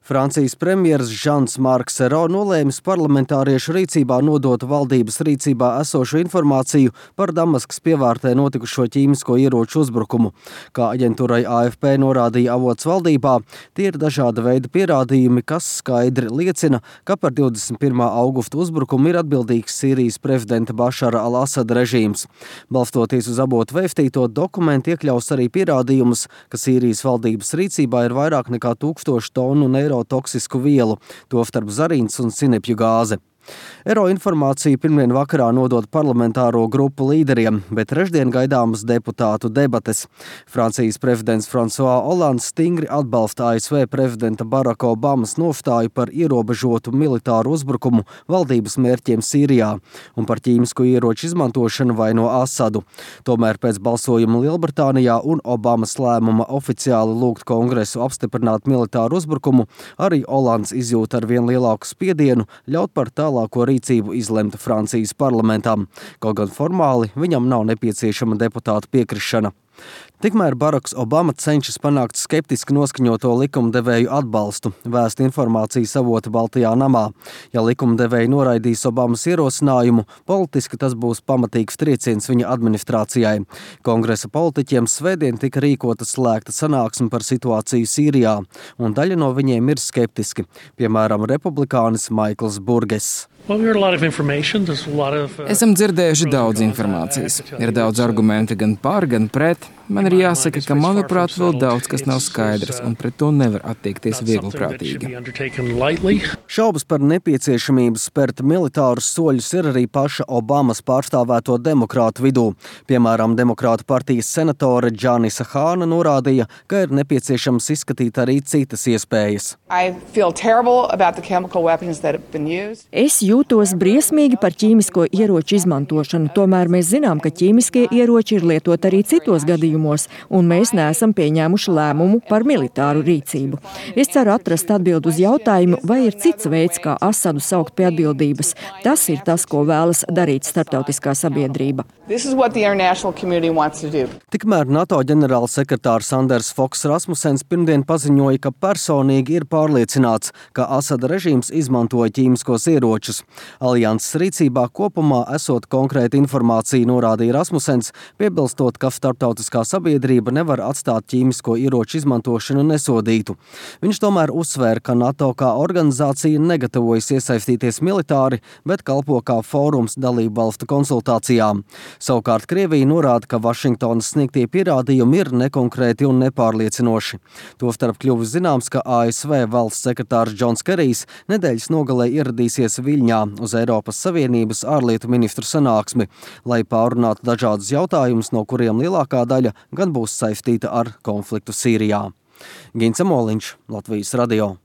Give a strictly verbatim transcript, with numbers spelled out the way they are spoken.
Francijas premjers Žans Marks Ayrault nolēmis parlamentāriešu rīcībā nodot valdības rīcībā esošo informāciju par Damaskas pievārtē notikušo ķīmisko ieroču uzbrukumu. Kā aģentūrai A F P norādīja avots valdībā, tie ir dažāda veida pierādījumi, kas skaidri liecina, ka par divdesmit pirmā augusta uzbrukumu ir atbildīgs Sīrijas prezidenta Bašara al-Asada režīms. Balstoties uz avotu vēstīto dokumentu iekļaus arī pierādījumus, ka Sīrijas valdības rīcībā ir vairāk nekā tūkstoši tonu neiro toksisku vielu, tostarp zarīns un sinepju gāze. Ero informāciju pirmdien vakarā nodot parlamentāro grupu līderiem, bet trešdien gaidāmas deputātu debates. Francijas prezidents François Hollands stingri atbalsta A S V prezidenta Baracka Obamas nostāju par ierobežotu militāru uzbrukumu valdības mērķiem Sīrijā un par ķīmisko ieroču izmantošanu vaino Asadu. Tomēr pēc balsojuma Lielbritānijā un Obamas lēmuma oficiāli lūgt kongresu apstiprināt militāru uzbrukumu, arī Hollands izjūt ar vien lielāku spiedienu ļaut par tālāk ko rīcību izlemta Francijas parlamentam, kaut gan formāli viņam nav nepieciešama deputātu piekrišana. Tikmēr Baracks Obama cenšas panākt skeptiski noskaņoto likumdevēju atbalstu, vēst informācijas avoti Baltajā namā. Ja likumdevēji noraidīs Obamas ierosinājumu, politiski tas būs pamatīgs trieciens viņa administrācijai. Kongresa politiķiem svētdien tika rīkota slēgta sanāksme par situāciju Sīrijā, un daļa no viņiem ir skeptiski, piemēram, republikānis Maikls Burges. Esam dzirdējuši daudz informācijas. Ir daudz argumenti gan par, gan pret. Man ir jāsaka, ka, manuprāt, vēl daudz kas nav skaidrs, un pret to nevar attiekties viegliprātīgi. Šaubas par nepieciešamību spērt militārus soļus ir arī paša Obamas pārstāvēto demokrātu vidū. Piemēram, demokrātu partijas senatore Džanisa Hāna norādīja, ka ir nepieciešams izskatīt arī citas iespējas. Es jūtos briesmīgi par ķīmisko ieroču izmantošanu, tomēr mēs zinām, ka ķīmiskie ieroči ir lietot arī citos gadījumos, un mēs neesam pieņēmuši lēmumu par militāru rīcību. Es ceru atrast atbildi uz jautājumu, vai ir cits veids, kā Asadu saukt pie atbildības. Tas ir tas, ko vēlas darīt starptautiskā sabiedrība. Tikmēr NATO ģenerālsekretārs Anders Foks Rasmussens pirmdien paziņoja, ka personīgi ir pārliecināts, ka Asada režīms izmantoja ķīmiskos ieročus. Alianses rīcībā kopumā esot konkrēta informācija, norādīja Rasmussens, piebilstot, ka starptautiskā sabiedrība nevar atstāt ķīmisko ieroču izmantošanu nesodītu. Viņš tomēr uzsvēra, ka NATO kā organizācija negatavojas iesaistīties militāri, bet kalpo kā fórums dalību valstu konsultācijām. Savukārt Krievija norāda, ka Vašingtonas sniegtie pierādījumi ir nekonkrēti un nepārliecinoši. Tostarp kļuvis zināms, ka A S V valsts sekretārs Džons Kerijs nedēļas nogalē ieradīsies Viļņā uz Eiropas Savienības ārlietu ministru sanāksmi, lai pārunātu dažādus jautājumus, no kuriem lielākā daļa gan būs saistīta ar konfliktu Sīrijā. Gints Amoliņš, Latvijas radio.